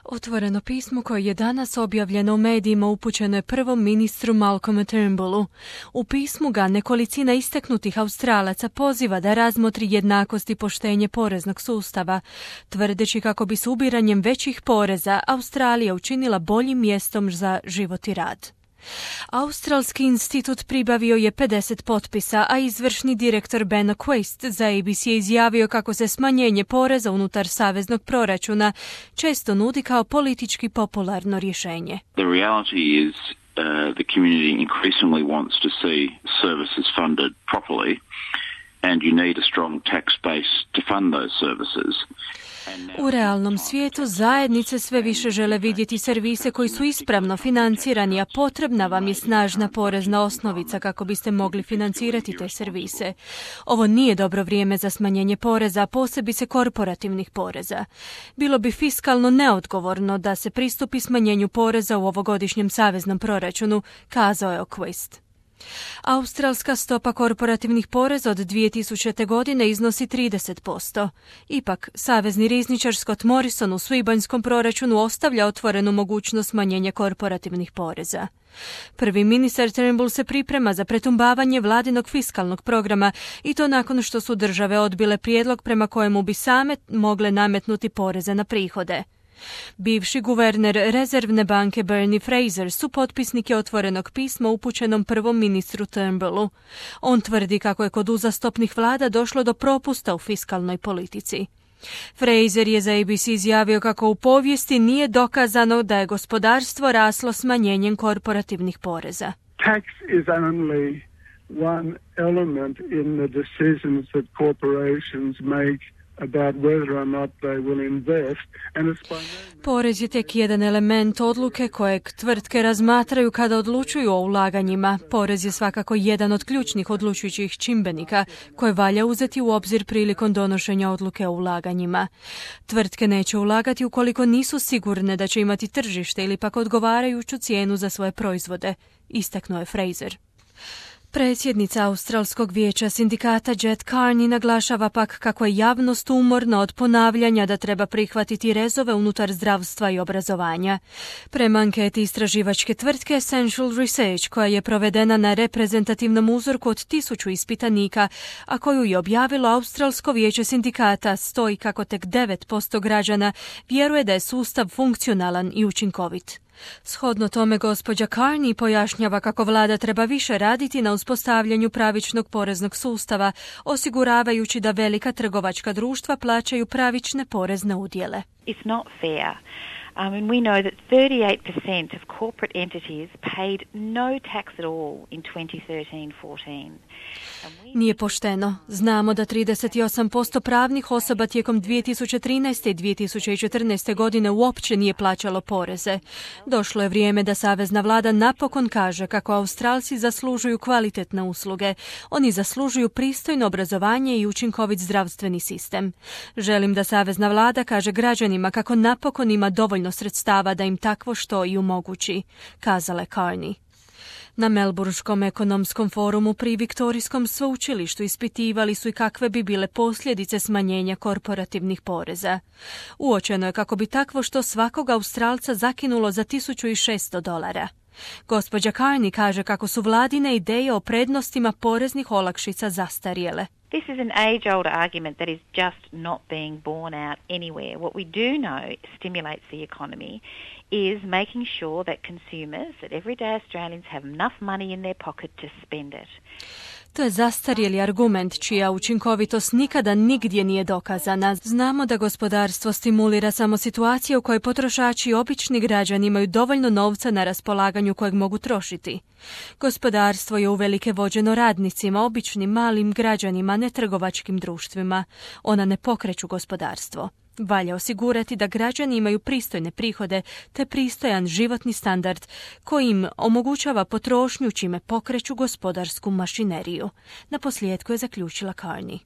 Otvoreno pismo koje je danas objavljeno u medijima upućeno je prvom ministru Malcolmu Turnbullu. U pismu ga nekolicina istaknutih Australaca poziva da razmotri jednakost i poštenje poreznog sustava, tvrdeći kako bi s ubiranjem većih poreza Australija učinila boljim mjestom za život i rad. Australski institut pribavio je 50 potpisa, a izvršni direktor Ben Quaist za ABC je izjavio kako se smanjenje poreza unutar saveznog proračuna često nudi kao politički popularno rješenje. The reality is the community increasingly wants to see services funded properly and you need a strong tax base to fund those services. U realnom svijetu zajednice sve više žele vidjeti servise koji su ispravno financirani, a potrebna vam je snažna porezna osnovica kako biste mogli financirati te servise. Ovo nije dobro vrijeme za smanjenje poreza, a posebice korporativnih poreza. Bilo bi fiskalno neodgovorno da se pristupi smanjenju poreza u ovogodišnjem saveznom proračunu, kazao je Quaist. Australska stopa korporativnih poreza od 2000. godine iznosi 30%. Ipak, savezni rizničar Scott Morrison u svibanjskom proračunu ostavlja otvorenu mogućnost smanjenja korporativnih poreza. Prvi ministar Turnbull se priprema za pretumbavanje vladinog fiskalnog programa i to nakon što su države odbile prijedlog prema kojemu bi same mogle nametnuti poreze na prihode. Bivši guverner rezervne banke Bernie Fraser supotpisnik je otvorenog pisma upućenom prvom ministru Turnbullu. On tvrdi kako je kod uzastopnih vlada došlo do propusta u fiskalnoj politici. Fraser je za ABC izjavio kako u povijesti nije dokazano da je gospodarstvo raslo smanjenjem korporativnih poreza. Tax is only one element in the decisions that corporations make about whether or not they will invest. Porez je tek jedan element odluke kojeg tvrtke razmatraju kada odlučuju o ulaganjima. Porez je svakako jedan od ključnih odlučujućih čimbenika koje valja uzeti u obzir prilikom donošenja odluke o ulaganjima. Tvrtke neće ulagati ukoliko nisu sigurne da će imati tržište ili pak odgovarajuću cijenu za svoje proizvode, istaknuo je Fraser. Predsjednica Australskog vijeća sindikata Jet Carney naglašava pak kako je javnost umorna od ponavljanja da treba prihvatiti rezove unutar zdravstva i obrazovanja. Prema anketi istraživačke tvrtke Essential Research, koja je provedena na reprezentativnom uzorku od 1000 ispitanika, a koju je objavilo Australsko vijeće sindikata, stoji kako tek 9% građana vjeruje da je sustav funkcionalan i učinkovit. Shodno tome, gospođa Carney pojašnjava kako vlada treba više raditi na uspostavljanju pravičnog poreznog sustava, osiguravajući da velika trgovačka društva plaćaju pravične porezne udjele. It's not fair. We know that 38% of corporate entities paid no tax at all in 2013-14. Nije pošteno. Znamo da 38% pravnih osoba tijekom 2013. i 2014. godine uopće nije plaćalo poreze. Došlo je vrijeme da savezna vlada napokon kaže kako Australci zaslužuju kvalitetne usluge. Oni zaslužuju pristojno obrazovanje i učinkovit zdravstveni sistem. Želim da savezna vlada kaže građanima kako napokon ima dovoljno sredstava da im takvo što i omogući, kazala je Carney. Na Melburnskom ekonomskom forumu pri Viktorijskom sveučilištu ispitivali su i kakve bi bile posljedice smanjenja korporativnih poreza. Uočeno je kako bi takvo što svakog Australca zakinulo za $1.600. Gospođa Carney kaže kako su vladine ideje o prednostima poreznih olakšica zastarjele. This is an age-old argument that is just not being borne out anywhere. What we do know stimulates the economy is making sure that consumers, that everyday Australians have enough money in their pocket to spend it. To je zastarjeli argument čija učinkovitost nikada nigdje nije dokazana. Znamo da gospodarstvo stimulira samo situacije u kojoj potrošači i obični građani imaju dovoljno novca na raspolaganju kojeg mogu trošiti. Gospodarstvo je uvelike vođeno radnicima, običnim malim građanima, ne trgovačkim društvima. Ona ne pokreću gospodarstvo. Valja osigurati da građani imaju pristojne prihode te pristojan životni standard koji im omogućava potrošnju čime pokreću gospodarsku mašineriju. Naposljetku je zaključila Carney.